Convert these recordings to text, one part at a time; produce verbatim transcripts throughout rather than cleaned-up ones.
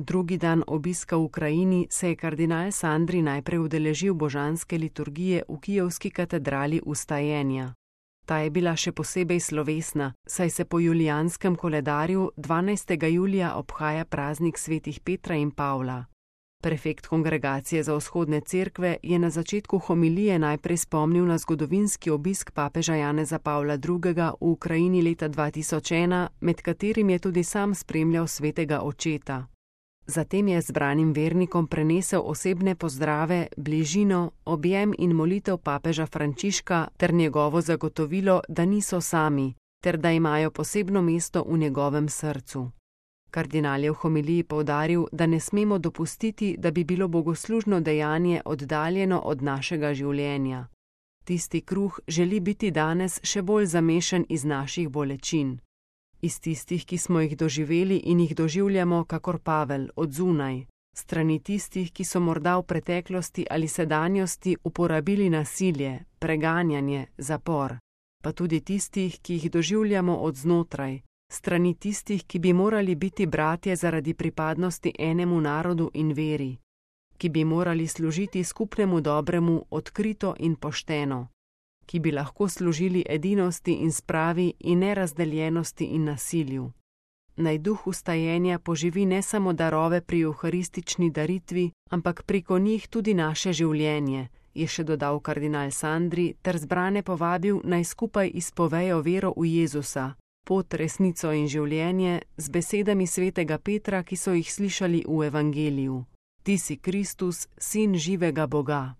Drugi dan obiska v Ukrajini se je kardinal Sandri najprej udeležil božanske liturgije v kijevski katedrali Vstajenja. Ta je bila še posebej slovesna, saj se po julijanskem koledarju dvanajstega julija obhaja praznik svetih Petra in Pavla. Prefekt Kongregacije za vzhodne cerkve je na začetku homilije najprej spomnil na zgodovinski obisk papeža Janeza Pavla drugega. v Ukrajini leta dva tisoč ena, med katerim je tudi sam spremljal svetega očeta. Zatem je zbranim vernikom prenesel osebne pozdrave, bližino, objem in molitev papeža Frančiška ter njegovo zagotovilo, da niso sami, ter da imajo posebno mesto v njegovem srcu. Kardinal je v homiliji poudaril, da ne smemo dopustiti, da bi bilo bogoslužno dejanje oddaljeno od našega življenja. Tisti kruh želi biti danes še bolj zamešan iz naših bolečin. Iz tistih, ki smo jih doživeli in jih doživljamo, kakor Pavel, od zunaj, strani tistih, ki so morda v preteklosti ali sedanjosti uporabili nasilje, preganjanje, zapor, pa tudi tistih, ki jih doživljamo od znotraj, strani tistih, ki bi morali biti bratje zaradi pripadnosti enemu narodu in veri, ki bi morali služiti skupnemu dobremu odkrito in pošteno, ki bi lahko služili edinosti in spravi in nerazdeljenosti in nasilju. Naj duh vstajenja poživi ne samo darove pri euharistični daritvi, ampak preko njih tudi naše življenje, je še dodal kardinal Sandri ter zbrane povabil, naj skupaj izpovejo vero v Jezusa, pot, resnico in življenje, z besedami svetega Petra, ki so jih slišali v evangeliju. Ti si Kristus, sin živega Boga.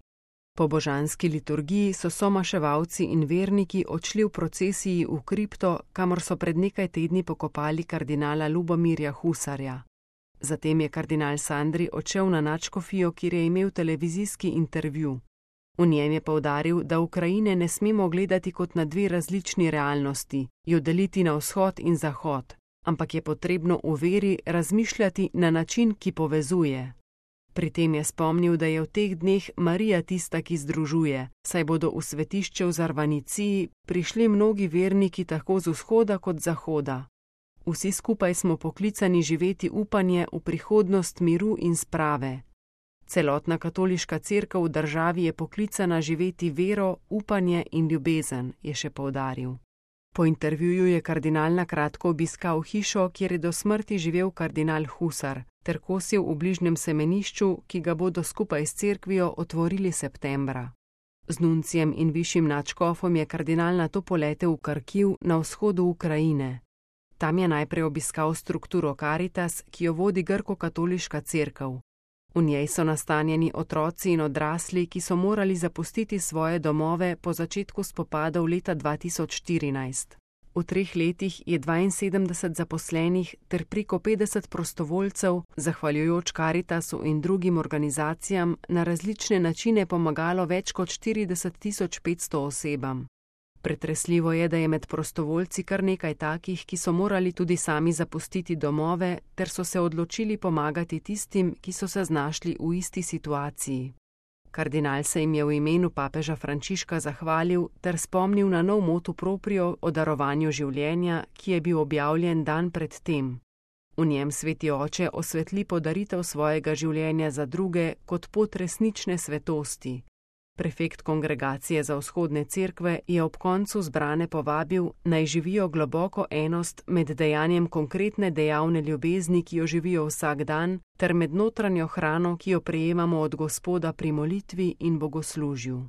Po božanski liturgiji so somaševalci in verniki odšli v procesiji v kripto, kamor so pred nekaj tedni pokopali kardinala Lubomirja Husarja. Zatem je kardinal Sandri odšel na nadškofijo, kjer je imel televizijski intervju. V njem je poudaril, da Ukrajine ne smemo gledati kot na dve različni realnosti, jo deliti na vzhod in zahod, ampak je potrebno v veri razmišljati na način, ki povezuje. Pri tem je spomnil, da je v teh dneh Marija tista, ki združuje, saj bodo v svetišče v Zarvaniciji prišli mnogi verniki tako z vzhoda kot zahoda. Vsi skupaj smo poklicani živeti upanje v prihodnost miru in sprave. Celotna katoliška cerkev v državi je poklicana živeti vero, upanje in ljubezen, je še poudaril. Po intervjuju je kardinal na kratko obiskal hišo, kjer je do smrti živel kardinal Husar, ter kosil v bližnjem semenišču, ki ga bodo skupaj s cerkvijo otvorili septembra. Z nuncijem in višjim nadškofom je kardinal nato poletel v Karkiv na vzhodu Ukrajine. Tam je najprej obiskal strukturo Caritas, ki jo vodi grko-katoliška cerkev. V njej so nastanjeni otroci in odrasli, ki so morali zapustiti svoje domove po začetku spopadov leta dva tisoč štirinajst. V treh letih je dvainsedemdeset zaposlenih ter preko petdeset prostovoljcev, zahvaljujoč Caritasu in drugim organizacijam, na različne načine pomagalo več kot štirideset tisoč petsto osebam. Pretresljivo je, da je med prostovoljci kar nekaj takih, ki so morali tudi sami zapustiti domove, ter so se odločili pomagati tistim, ki so se znašli v isti situaciji. Kardinal se jim je v imenu papeža Frančiška zahvalil ter spomnil na nov motu proprio o darovanju življenja, ki je bil objavljen dan pred tem. V njem sveti oče osvetli podaritev svojega življenja za druge kot pot resnične svetosti. Prefekt Kongregacije za vzhodne cerkve je ob koncu zbrane povabil, naj živijo globoko enost med dejanjem konkretne dejavne ljubezni, ki jo živijo vsak dan, ter med notranjo hrano, ki jo prejemamo od Gospoda pri molitvi in bogoslužju.